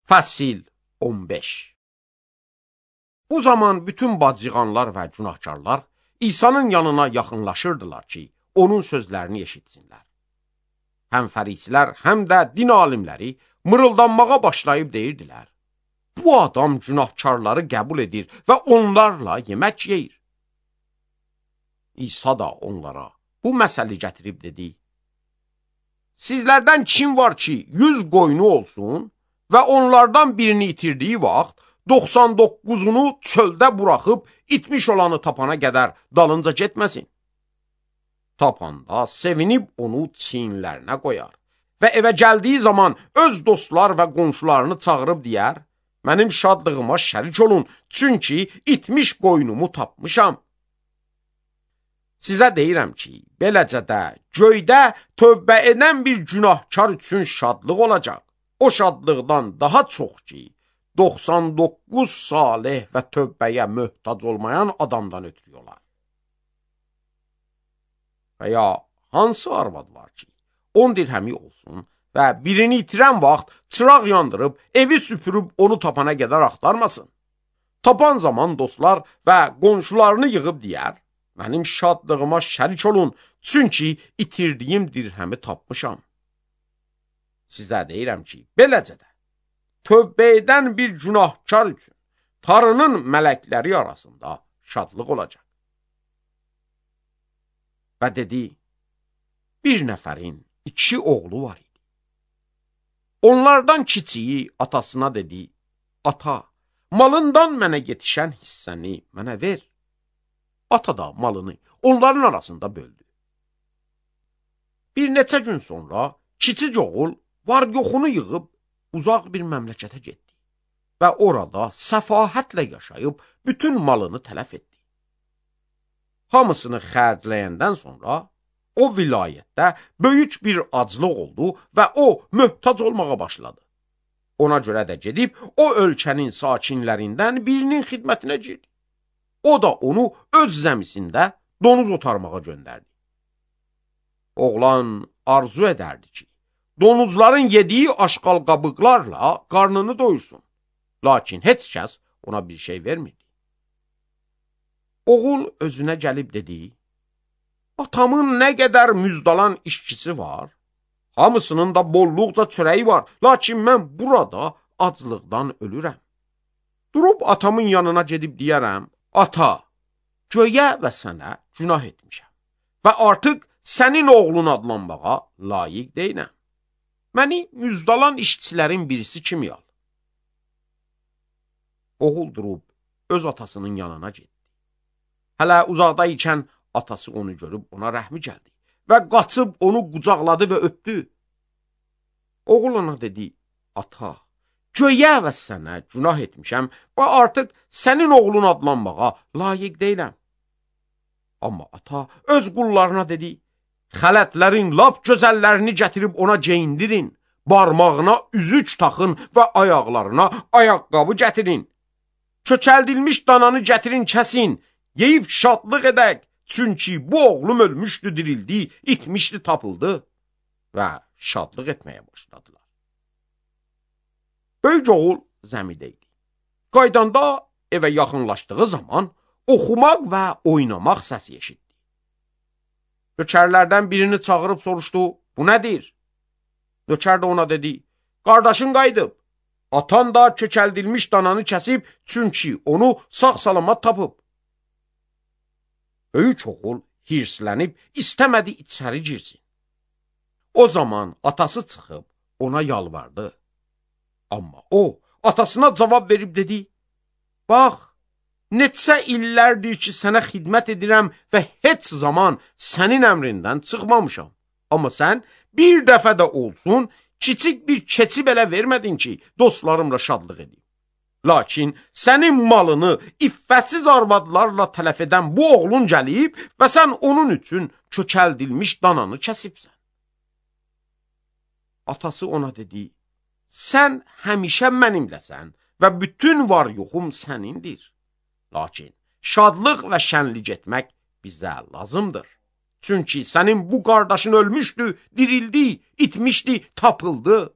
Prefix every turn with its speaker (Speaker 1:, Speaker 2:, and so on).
Speaker 1: Fəsil 15. Bu zaman bütün bacıqanlar və günahkarlar İsa'nın yanına yaxınlaşırdılar ki, onun sözlərini eşitsinlər. Həm fərisilər, həm də din alimləri mırıldanmağa başlayıb deyirdilər: bu adam günahkarları qəbul edir və onlarla yemək yeyir. İsa da onlara bu məsəli gətirib dedi: sizlərdən kim var ki, 100 qoyunu olsun və onlardan birini itirdiyi vaxt 99'unu çöldə buraxıb itmiş olanı tapana qədər dalınca getməsin. Tapanda sevinib onu çiyinlərinə qoyar və evə gəldiyi zaman öz dostlar və qonşularını çağırıb deyər: mənim şadlığıma şərik olun, çünki itmiş qoyunumu tapmışam. Sizə deyirəm ki, beləcə də göydə tövbə edən bir günahkar üçün şadlıq olacaq. O şadlıqdan daha çox ki, 99 salih və tövbəyə möhtac olmayan adamdan ötürü olar. Və ya hansı arvad var ki, 10 dirhəmi olsun və birini itirən vaxt çıraq yandırıb, evi süpürüb onu tapana qədər axtarmasın. Tapan zaman dostlar və qonşularını yığıb deyər: mənim şadlığıma şərik olun, çünki itirdiyim dirhəmi tapmışam. Sizə deyirəm ki, beləcə də tövbə edən bir günahkar üçün Tanrının mələkləri arasında şadlıq olacaq. Və dedi: bir nəfərin 2 oğlu var idi. Onlardan kiçiyi atasına dedi: ata, malından mənə yetişən hissəni mənə ver. Ata da malını onların arasında böldü. Bir neçə gün sonra kiçik oğul var yoxunu yığıb uzaq bir məmləkətə getdi və orada səfahətlə yaşayıb bütün malını tələf etdi. Hamısını xərcləyəndən sonra o vilayətdə böyük bir aclıq oldu və o möhtac olmağa başladı. Ona görə də gedib o ölkənin sakinlərindən birinin xidmətinə girdi. O da onu öz zəmisində donuz otarmağa göndərdi. Oğlan arzu edərdi ki, donuzların yediyi aşqal qabıqlarla qarnını doyursun. Lakin heç kəs ona bir şey vermirdi. Oğul özünə gəlib dedi: atamın nə qədər müjdalan işçisi var, hamısının da bolluqca çörəyi var, lakin mən burada aclıqdan ölürəm. Durub atamın yanına gedib deyərəm: ata, göyə və sənə günah etmişəm və artıq sənin oğlun adlanmağa layiq deyiləm. Məni müjdalan işçilərin birisi kimi al. Oğul durub öz atasının yanına getdi. Hələ uzaqda ikən atası onu görüb ona rəhmi gəldi və qaçıb onu qucaqladı və öpdü. Oğul ona dedi: ata, göyə və sənə günah etmişəm və artıq sənin oğlun adlanmağa layiq deyiləm. Amma ata öz qullarına dedi: xələtlərin lap gözəllərini gətirib ona geyindirin, barmağına üzük taxın və ayaqlarına ayaqqabı gətirin. Köçəldilmiş dananı gətirin, kəsin, yeyib şadlıq edək, çünki bu oğlum ölmüşdü, dirildi, itmişdi, tapıldı və şadlıq etməyə başladılar. Böyük oğul zəmidə idi. Qaydanda evə yaxınlaşdığı zaman oxumaq və oynamaq səsi eşitdi. Nökərlərdən birini çağırıb soruşdu: bu nədir? Nökər də ona dedi: qardaşın qayıdıb. Atan da köçəldilmiş dananı kəsib, çünki onu sağ-salamat tapıb. Böyük oğul hirslənib istəmədi içəri girsin. O zaman atası çıxıb ona yalvardı. Amma o atasına cavab verib dedi: bax, neçə illərdir ki, sənə xidmət edirəm və heç zaman sənin əmrindən çıxmamışam. Amma sən bir dəfə də olsun kiçik bir keçi belə vermədin ki, dostlarımla şadlıq edeyim. Lakin sənin malını iffətsiz arvadlarla tələf edən bu oğlun gəlib və sən onun üçün köçəldilmiş dananı kəsibsən. Atası ona dedi: sən həmişə mənimləsən və bütün var yoxum sənindir. Lakin şadlıq və şənlik etmək bizə lazımdır. Çünki sənin bu qardaşın ölmüşdü, dirildi, itmişdi, tapıldı.